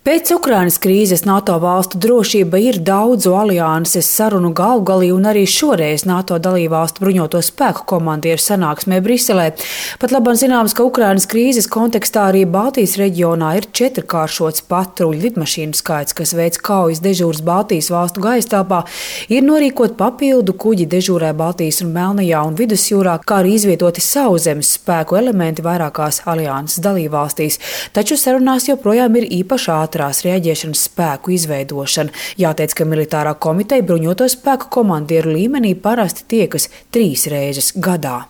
Pēc Ukrainas krīzes NATO valstu drošība ir daudzu alianses sarunu galvgalī, un arī šoreiz NATO dalībvalstu bruņoto spēku komandieru sanāksmē Briselē. Pat labāk zināms, ka Ukrainas krīzes kontekstā arī Baltijas reģionā ir 4-kāršots patruļu lidmašīnu skaits, kas veic kaujas dežūras Baltijas valstu gaistelpā, ir norīkot papildu kuģi dežūrē Baltijas un Melnajā un Vidusjūrā, kā arī izvietoti sauszemes spēku elementi vairākās alianses dalībvalstīs. Taču sarunās joprojām ir īpaši ātrās reaģēšanas spēku izveidošana. Jāteic, ka militārā komiteja bruņoto spēku komandieru līmenī parasti tiekas 3 reizes gadā.